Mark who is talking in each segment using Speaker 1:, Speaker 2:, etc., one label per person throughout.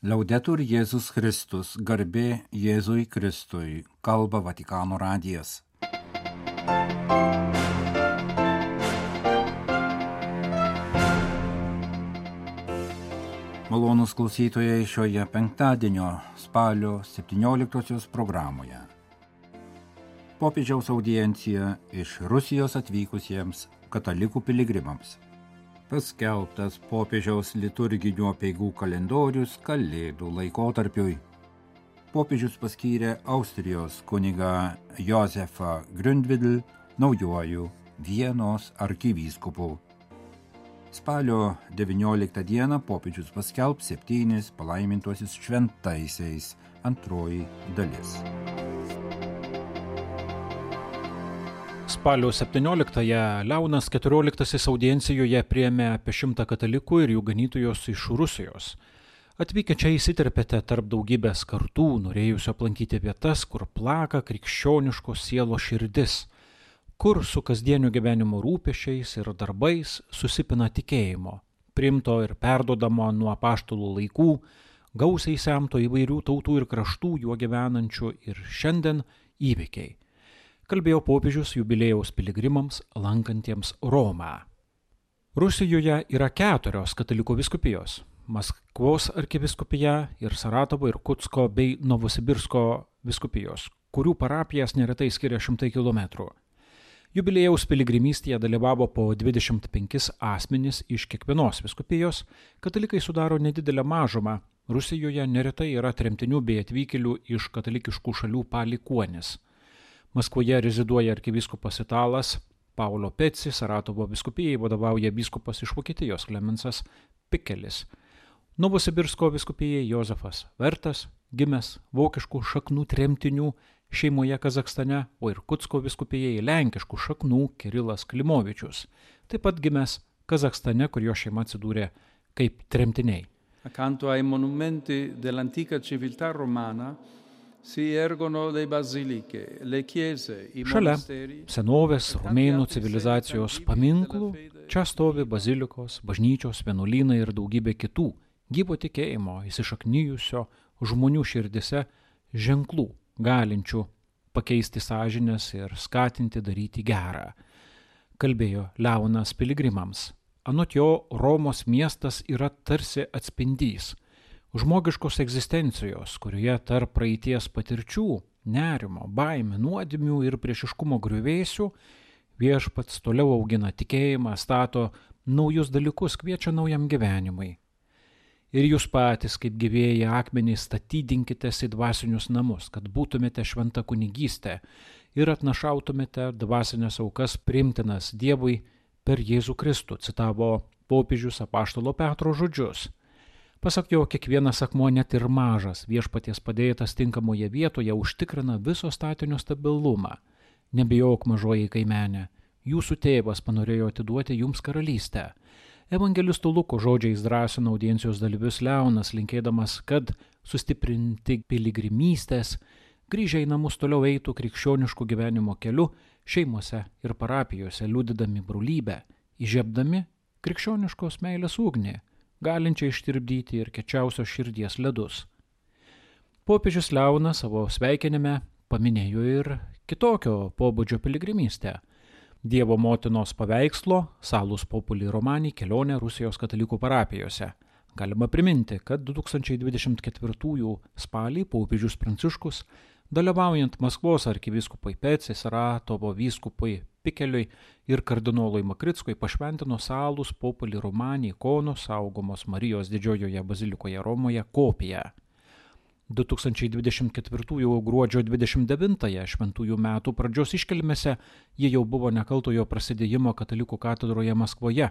Speaker 1: Liaudetur Jėzus Kristus, garbė Jėzui Kristui, kalba Vatikano radijas. Malonūs klausytojai šioje penktadienio spalio 17 programoje. Popiežiaus audiencija iš Rusijos atvykusiems katalikų piligrimams. Paskelbtas popiežiaus liturginių apeigų kalendorius Kalėdų laikotarpiui. Popiežius paskyrė Austrijos kunigą Josefą Gründvidl naujuoju Vienos arkivyskupu. Spalio 19 dieną popiežius paskelbs 7 palaimintuosius šventaisiais, antroji dalis.
Speaker 2: Spalio 17-ąją Leonas XIV audiencijoje priėmė apie 100 katalikų ir jų ganytojos iš Rusijos. Atvykę čia įsiterpėte tarp daugybės kartų, norėjusių aplankyti vietas, kur plaka krikščioniškos sielos širdis, kur su kasdieniu gyvenimo rūpesčiais ir darbais susipina tikėjimo, priimto ir perdodamo nuo apaštalų laikų, gausiai semto įvairių tautų ir kraštų juo gyvenančių ir šiandien įvykiai. Kalbėjo popiežius jubiliejaus piligrimams lankantiems Romą. Rusijoje yra 4 katalikų vyskupijos – Maskvos arkivyskupija ir Saratovo ir Kutsko bei Novosibirsko vyskupijos, kurių parapijas neretai skiria 100 km. Jubiliejaus piligrimystėje dalyvavo po 25 asmenys iš kiekvienos vyskupijos, katalikai sudaro nedidelę mažumą, Rusijoje neretai yra tremtinių bei atvykėlių iš katalikiškų šalių palikuonis. Maskvoje reziduoja arkivyskupas italas Paolo Peci, Saratovo vyskupijai vadovauja vyskupas iš Vokietijos Klemensas Pikelis. Novosibirsko vyskupijai Jozefas Vertas, gimęs vokiškų šaknų tremtinių šeimoje Kazachstane, o ir Kutsko vyskupijai lenkiškų šaknų Kirilas Klimovičius, taip pat gimęs Kazachstane, kur jo šeima atsidūrė kaip tremtiniai.
Speaker 3: Accanto ai monumenti dell'antica civiltà romana si ergono le basiliche, le chiese, i monasteri.
Speaker 2: Šalia senovės romėnų civilizacijos paminklų čia stovi bazilikos, bažnyčios, vienuolynai ir daugybė kitų gyvo tikėjimo įsišaknijusio žmonių širdise ženklų, galinčių pakeisti sąžines ir skatinti daryti gerą. Kalbėjo Leonas piligrimams. Anot jo, Romos miestas yra tarsi atspindys žmogiškos egzistencijos, kurioje tarp praeities patirčių, nerimo, baimių, nuodėmių ir priešiškumo griuvėsių viešpats toliau augina tikėjimą, stato naujus dalykus, kviečia naujam gyvenimui. Ir jūs patys, kaip gyvieji akmenys, statydinkitės į dvasinius namus, kad būtumėte šventa kunigystė ir atnašautumėte dvasinės aukas priimtinas Dievui per Jėzų Kristų, citavo popiežius apaštalo Petro žodžius. Pasak jo, kiekvienas akmuo, net ir mažas, viešpaties padėtas tinkamoje vietoje užtikrina viso statinio stabilumą. Nebijok, mažoji kaimenė, jūsų tėvas panorėjo atiduoti jums karalystę. Evangelistų Luko žodžiais drąsino audiencijos dalyvius Leonas, linkėdamas, kad sustiprinti piligrimystės, grįžę į namus toliau eitų krikščioniškų gyvenimo keliu, šeimose ir parapijose, liudydami brolybę, įžiebdami krikščioniškos meilės ugnį, galinčią ištirpdyti ir kiečiausios širdies ledus. Popiežius Leonas savo sveikinime paminėjo ir kitokio pobūdžio piligrimystę. Dievo motinos paveikslo Salus Populi Romani kelionė Rusijos katalikų parapijose. Galima priminti, kad 2024 spalį popiežius Pranciškus, dalyvaujant Maskvos arkivyskupui Peci, Saratovo vyskupui Pikeliui ir kardinolui Makritskui, pašventino Salus Populi Romani ikonos saugomos Marijos didžiojoje bazilikoje Romoje kopiją. 2024 gruodžio 29 šventųjų metų pradžios iškilmėse jie jau buvo nekaltojo prasidėjimo katalikų katedroje Maskvoje.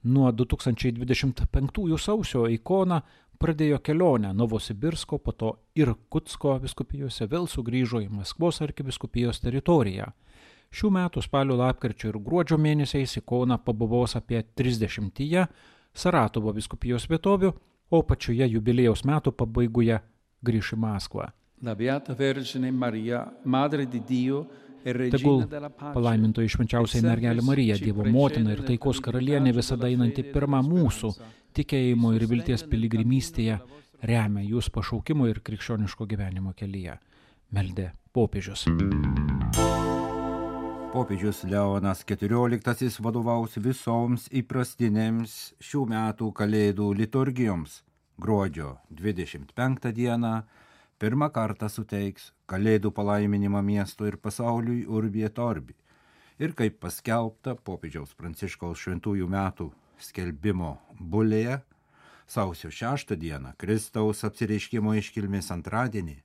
Speaker 2: Nuo 2025 sausio ikona pradėjo kelionę Novosibirsko, po to ir Kutsko vyskupijose, vėl sugrįžo į Maskvos arkivyskupijos teritoriją. Šių metų spalio, lapkričio ir gruodžio mėnesiais ikona pabuvos apie 30 Saratovo vyskupijos vietovių, o pačioje jubiliejaus metų pabaigoje grįš į Maskvą.
Speaker 3: La Beata Vergine Maria, Madre di Dio,
Speaker 2: Tegul palaimintoji švenčiausiai mergelė Marija, Dievo motina ir taikos karalienė, visada einanti pirma mūsų tikėjimo ir vilties piligrimystėje, remia jūs pašaukimo ir krikščioniško gyvenimo kelyje, meldė popiežius.
Speaker 1: Popiežius Leonas XIV vadovaus visoms įprastinėms šių metų Kalėdų liturgijoms. Gruodžio 25 dieną pirmą kartą suteiks Kalėdų palaiminimą miesto ir pasauliui Urbi et Orbi. Ir kaip paskelbta popiežiaus Pranciškaus šventųjų metų skelbimo bulėje, sausio 6 dieną Kristaus apsireiškimo iškilmės antradienį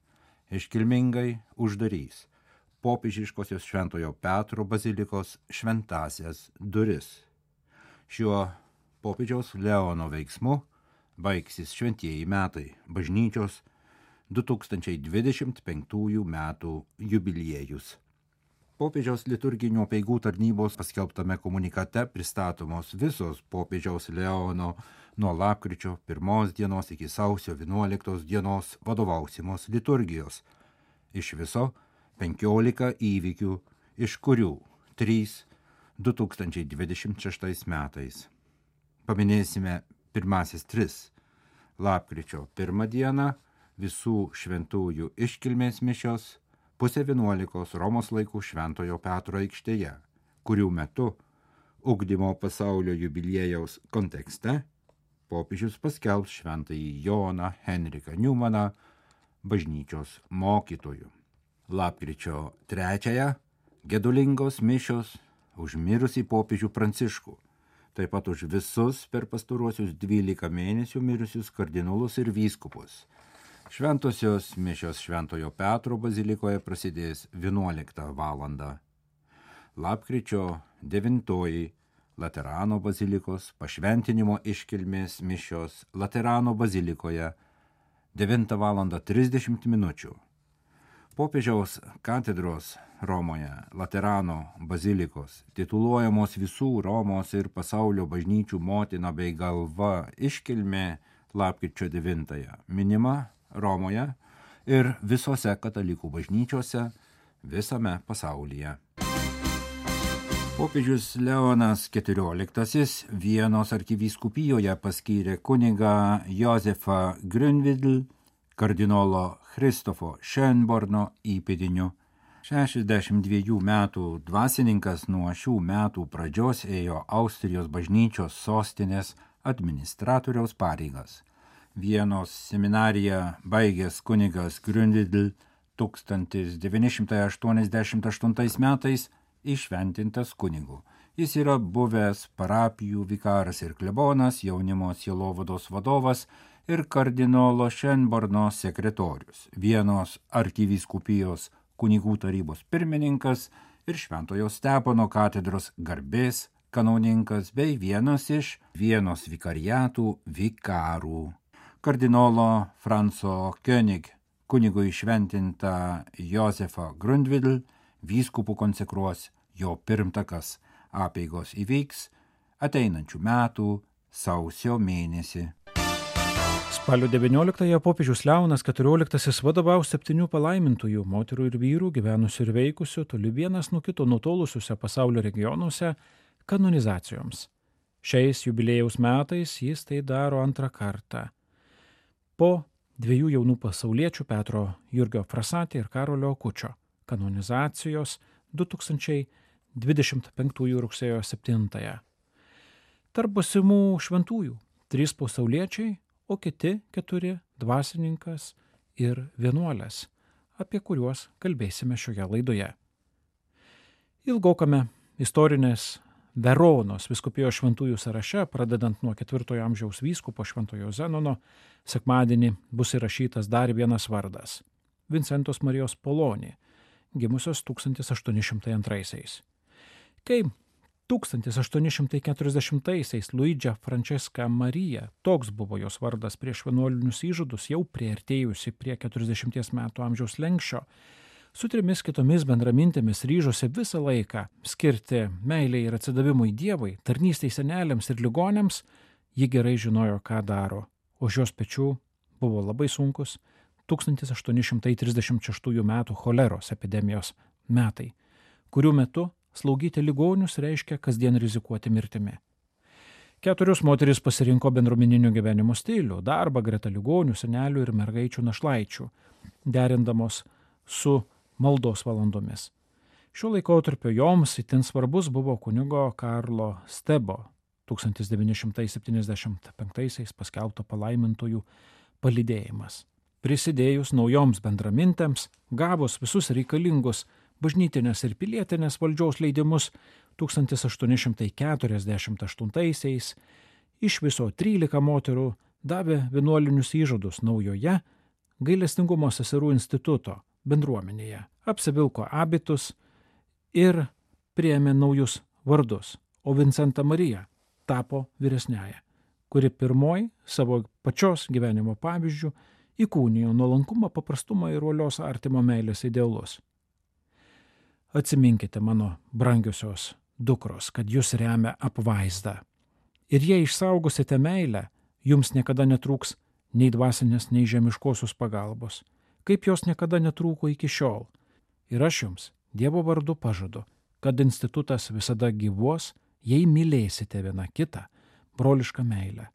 Speaker 1: iškilmingai uždarys popiežiškosios Šventojo Petro bazilikos šventąsias duris. Šiuo popiežiaus Leono veiksmu baigsis šventieji metai, bažnyčios 2025 metų jubiliejus. Popiežiaus liturginių apeigų tarnybos paskelbtame komunikate pristatomos visos popiežiaus Leono nuo lapkričio 1 dienos iki sausio 11 dienos vadovausimos liturgijos. Iš viso 15 įvykių, iš kurių 3 2026 metais. Paminėsime pirmasis 3. Lapkričio 1 dieną visų šventųjų iškilmės mišios 10:30 Romos laikų Šventojo Petro aikštėje, kurių metu ugdymo pasaulio jubiliejaus kontekste popiežius paskelbs šventąjį Joną Henriką Niumaną bažnyčios mokytoju. Lapkričio 3 gedulingos mišios už mirusį popiežių Pranciškų, taip pat už visus per pastaruosius 12 mėnesių mirusius kardinolus ir vyskupus. Šventosios mišios Šventojo Petro bazilikoje prasidės 11 valandą. Lapkričio 9 Laterano bazilikos pašventinimo iškilmės mišios Laterano bazilikoje 9:30 min. Popiežiaus katedros Romoje Laterano bazilikos, tituluojamos visų Romos ir pasaulio bažnyčių motina bei galva iškilmė lapkričio 9 minima Romoje ir visose katalikų bažnyčiose visame pasaulyje. Popiežius Leonas XIV Vienos arkivyskupijoje paskyrė kunigą Josefą Grünvidl kardinolo Kristofo Schönborno įpėdiniu. 62 metų dvasininkas nuo šių metų pradžios ėjo Austrijos bažnyčios sostinės administratoriaus pareigas. Vienos seminariją baigęs kunigas Grünvidl 1988 metais įšventintas kunigu. Jis yra buvęs parapijų vikaras ir klebonas, jaunimo sielovados vadovas ir kardinolo Schönborno sekretorius, Vienos arkivyskupijos kunigų tarybos pirmininkas ir Šventojo Stepono katedros garbės kanauninkas bei vienas iš Vienos vikariatų vikarų. Kardinolo Franco König kunigu įšventintą Josefą Grünvidl vyskupų konsekruos jo pirmtakas. Apeigos įvyks ateinančių metų sausio mėnesį.
Speaker 2: Spalio 19 popiežius Leonas XIV vadovaus 7 palaimintųjų moterų ir vyrų gyvenusių ir veikusių toli vienas nuo kito nutolusiuose pasaulio regionuose kanonizacijoms. Šiais jubiliejaus metais jis tai daro antrą kartą. Po 2 jaunų pasauliečių Petro Jurgio Frassati ir Karolio Akučio kanonizacijos 2025 rugsėjo 7. Tarp būsimų šventųjų 3 pasauliečiai, o kiti 4 dvasininkas ir vienuolės, apie kuriuos kalbėsime šioje laidoje. Ilgokame istorinės Veronos vyskupijos šventųjų sąraše, pradedant nuo 4 amžiaus vyskupo Šventojo Zenono, sekmadienį bus įrašytas dar vienas vardas – Vincentos Marijos Poloni, gimusios 1802. Kai 1840-aisiais Luidžia Francesca Marija, toks buvo jos vardas prieš vienuolinius įžadus, jau priartėjusi prie 40 metų amžiaus lenkščio, su 3 kitomis bendramintėmis ryžosi visą laiką skirti meilei ir atsidavimui Dievui, tarnystei seneliams ir ligoniams, ji gerai žinojo, ką daro. Už jos pečių buvo labai sunkus 1836 metų choleros epidemijos metai, kurių metu slaugyti ligonius reiškia kasdien rizikuoti mirtimi. 4 moterys pasirinko bendruomeninio gyvenimo stilių, darbą greta ligonių, senelių ir mergaičių našlaičių, derindamos su maldos valandomis. Šiuo laikotarpiu joms itin svarbus buvo kunigo Karlo Stebo 1975 paskelbto palaimintųjų palydėjimas. Prisidėjus naujoms bendramintėms, gavus visus reikalingus bažnytinės ir pilietinės valdžios leidimus 1848 iš viso 13 moterų davė vienuolinius įžadus naujoje gailestingumo seserų instituto bendruomenėje, apsivilko abitus ir priėmė naujus vardus, o Vincenta Marija tapo vyresniaja, kuri pirmoji savo pačios gyvenimo pavyzdžių įkūnijo nuolankumą, paprastumą ir uolios artimo meilės idealus. Atsiminkite, mano brangiosios dukros, kad jūs remia apvaizda. Ir jei išsaugosite meilę, jums niekada netrūks nei dvasinės, nei žemiškosios pagalbos, kaip jos niekada netrūko iki šiol. Ir aš jums, Dievo vardu pažadu, kad institutas visada gyvuos, jei mylėsite viena kitą, brolišką meilę.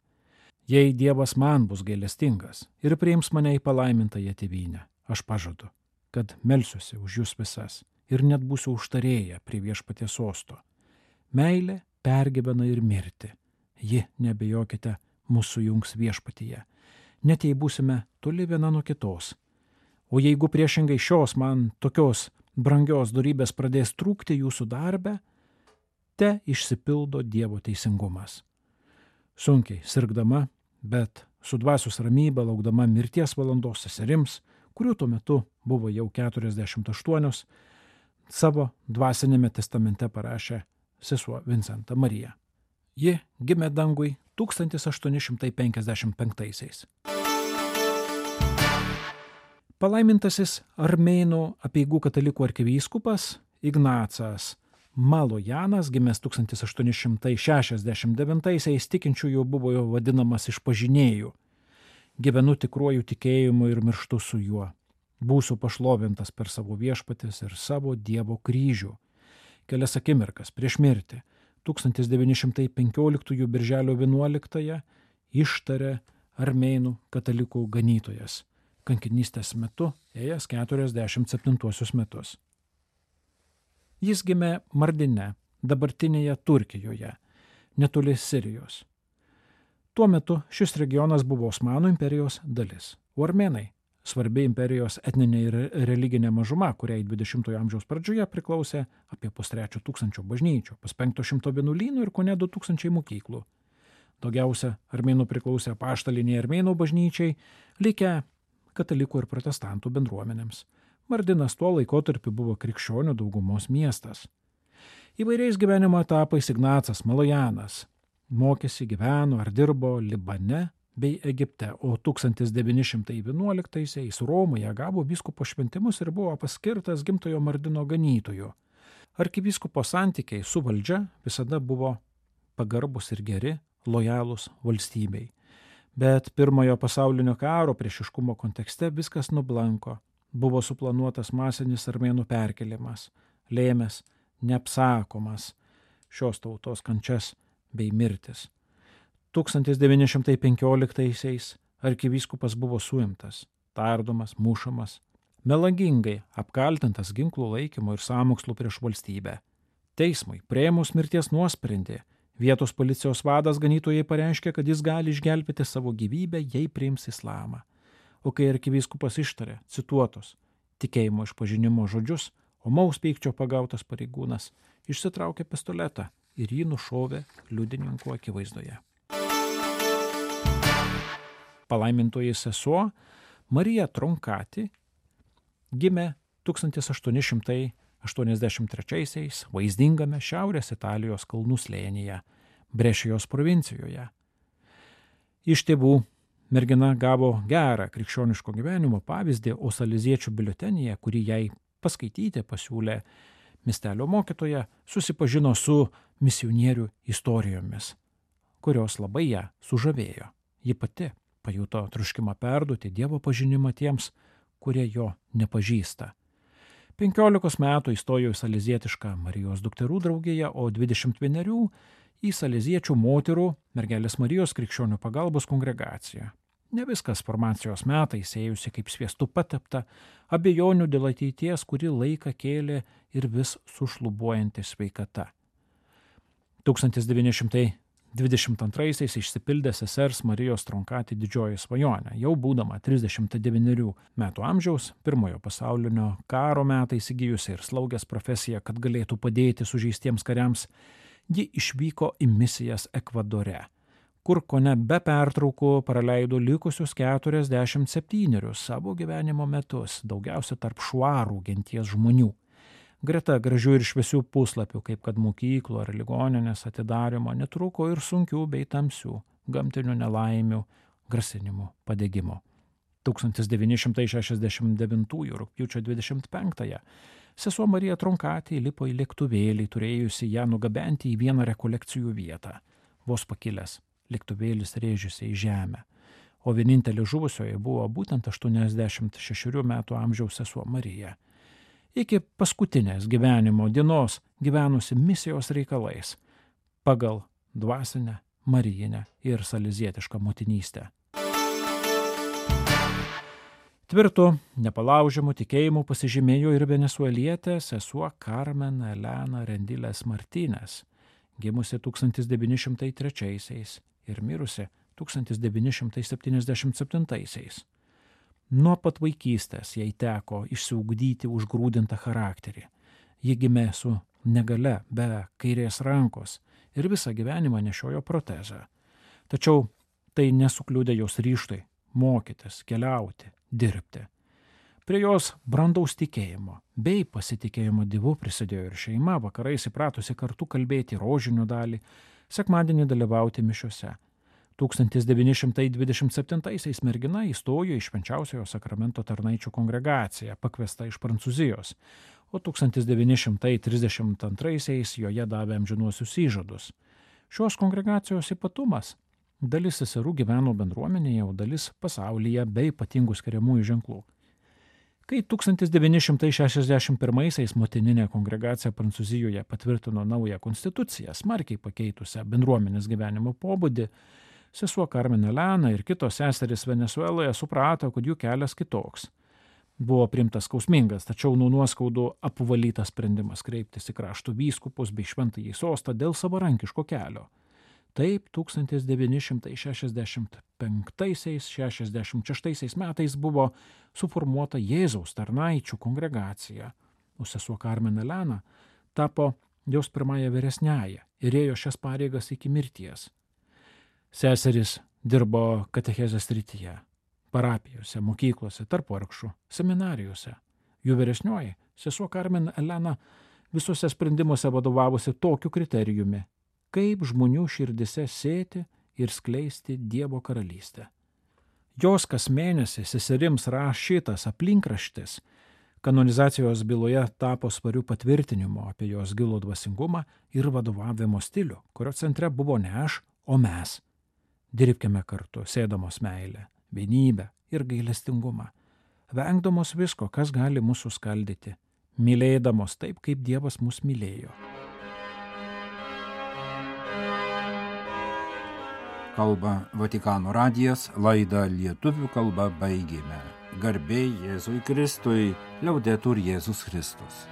Speaker 2: Jei Dievas man bus gailestingas ir priims mane į palaimintąją tėvynę, aš pažadu, kad melsiuosi už jūs visas ir net būsiu užtarėję prie viešpaties sosto. Meilė pergyvena ir mirti. Ji, nebejokite, mūsų jungs viešpatyje. Net jei būsime toli viena nuo kitos. O jeigu priešingai šios man tokios brangios dorybės pradės trūkti jūsų darbe, te išsipildo Dievo teisingumas. Sunkiai sirgdama, bet su dvasios ramybė laukdama mirties valandos seserims, kurių tuo metu buvo jau 48, savo dvasinėme testamente parašė sesuo Vincenta Marija. Ji gimė dangui 1855. Palaimintasis armėnų apeigų katalikų arkivyskupas Ignacas Malojanas, gimęs 1869, tikinčiųjų buvo jo vadinamas išpažinėju. Gyvenu tikruoju tikėjimu ir mirštu su juo. Būsiu pašlovintas per savo viešpatis ir savo Dievo kryžių. Kelias akimirkas prieš mirtį 1915 birželio 11 ištarė armėnų katalikų ganytojas, kankinystės metu ėjęs 47 metus. Jis gimė Mardine, dabartinėje Turkijoje, netoli Sirijos. Tuo metu šis regionas buvo Osmanų imperijos dalis, o armėnai svarbi imperijos etninė ir religinė mažuma, kuriai 20-ojo amžiaus pradžioje priklausė apie 3,5 bažnyčių, 500 vienuolynų ir kone 2000 mokyklų. Daugiausia armėnų priklausė apaštaliniai armėnų bažnyčiai, likę katalikų ir protestantų bendruomenėms. Mardinas tuo laikotarpiu buvo krikščionių daugumos miestas. Įvairiais gyvenimo etapais Ignacas Malojanas mokėsi, gyveno ar dirbo Libane bei Egipte, o 1911 Romoje gavo vyskupo šventimus ir buvo paskirtas gimtojo Mardino ganytoju. Arkivyskupo santykiai su valdžia visada buvo pagarbus ir geri, lojalūs valstybei. Bet pirmojo pasaulinio karo priešiškumo kontekste viskas nublanko. Buvo suplanuotas masinis armėnų perkelimas, lėmęs neapsakomas šios tautos kančias bei mirtis. 1915 arkivyskupas buvo suimtas, tardomas, mušamas, melagingai apkaltintas ginklų laikymu ir sąmokslu prieš valstybę. Teismui priėmus mirties nuosprendį, vietos policijos vadas ganytojai pareiškė, kad jis gali išgelbėti savo gyvybę, jei priims islamą. O kai arkivyskupas ištarė cituotos tikėjimo išpažinimo žodžius, omaus pykčio pagautas pareigūnas išsitraukė pistoletą ir jį nušovė liudininkų akivaizdoje. Palaimintoji sesuo Marija Tronkati gimė 1883 vaizdingame Šiaurės Italijos kalnų slėnyje, Brešijos provincijoje. Iš tėvų mergina gavo gerą krikščioniško gyvenimo pavyzdį, o saleziečių biuletenyje, kurį jai paskaityti pasiūlė miestelio mokytoja, susipažino su misionierių istorijomis, kurios labai ją sužavėjo. Ji pati pajuto troškimą perduoti Dievo pažinimą tiems, kurie jo nepažįsta. 15 metų įstojo į salezietišką Marijos dukterų draugiją, o 21 į saleziečių moterų Mergelės Marijos krikščionių pagalbos kongregaciją. Ne viskas formacijos metais ėjusi kaip sviestu patepta, abejonių dėl ateities kurį laiką kėlė ir vis sušlubuojanti sveikata. 1922 išsipildė sesers Marijos Tronkati didžioji svajonė. Jau būdama 39 metų amžiaus, pirmojo pasaulinio karo metais įgijusi ir slaugės profesiją, kad galėtų padėti sužeistiems kariams, ji išvyko į misijas Ekvadore, kur kone be pertraukų praleido likusius 47 savo gyvenimo metus, daugiausia tarp šuarų genties žmonių. Greta gražių ir šviesių puslapių, kaip kad mokyklų ar ligoninės atidarymo, netruko ir sunkių bei tamsių gamtinių nelaimių, grasinimų, padegimo. 1969 rugpjūčio 25 sesuo Marija Tronkati įlipo į lėktuvėlį, turėjusi ją nugabenti į vieną rekolekcijų vietą. Vos pakilęs, lėktuvėlis rėžėsi į žemę, o vienintelė žuvusioji buvo būtent 86 metų amžiaus sesuo Marija. Iki paskutinės gyvenimo dienos gyvenusi misijos reikalais pagal dvasinę, marijinę ir salezietišką motinystę. Tvirtu, nepalaužiamu tikėjimu pasižymėjo ir venesuelietė sesuo Carmen Elena Rendiles Martínez, gimusi 1903 ir mirusi 1977. Nuo pat vaikystės jai teko išsiugdyti užgrūdintą charakterį. Ji gimė su negale, be kairės rankos ir visą gyvenimą nešiojo protezą. Tačiau tai nesukliudė jos ryžtui mokytis, keliauti, dirbti. Prie jos brandaus tikėjimo bei pasitikėjimo Dievu prisidėjo ir šeima, vakarais įpratusi kartu kalbėti rožinių dalį, sekmadienį dalyvauti mišiose. 1927 mergina įstojo į Švenčiausiojo sakramento tarnaičių kongregaciją, pakviesta iš Prancūzijos, o 1932 joje davė amžinuosius įžadus. Šios kongregacijos ypatumas – dalis seserų gyveno bendruomenėje, o dalis pasaulyje be ypatingų skiriamųjų ženklų. Kai 1961 motininė kongregacija Prancūzijoje patvirtino naują konstituciją, smarkiai pakeitusią bendruomenės gyvenimo pobūdį, sesuo Carmen Elena ir kitos seserys Venesueloje suprato, kad jų kelias kitoks. Buvo priimtas skausmingas, tačiau nuo nuoskaudų apvalytas sprendimas kreiptis į krašto vyskupus bei šventąjį sostą dėl savarankiško kelio. Taip 1965–66 metais buvo suformuota Jėzaus tarnaičių kongregacija, o sesuo Carmen Elena tapo jos pirmąją vyresniąją ir ėjo šias pareigas iki mirties. Seserys dirbo katechezės srityje, parapijose, mokyklose, tarp vargšų, seminarijose. Jų vyresnioji, sesuo Carmen Elena, visuose sprendimuose vadovavosi tokiu kriterijumi, kaip žmonių širdise sėti ir skleisti Dievo karalystę. Jos kas mėnesį seserims rašytas aplinkraštis kanonizacijos byloje tapo svariu patvirtinimu apie jos gilų dvasingumą ir vadovavimo stilių, kurio centre buvo ne aš, o mes. Dirbkime kartu, sėdamos meilę, vienybę ir gailestingumą, vengdamos visko, kas gali mūsų skaldyti, mylėdamos taip, kaip Dievas mus mylėjo.
Speaker 1: Kalba Vatikano radijas, laidą lietuvių kalba baigėme. Garbė Jėzui Kristui, liaudetur Jėzus Kristus.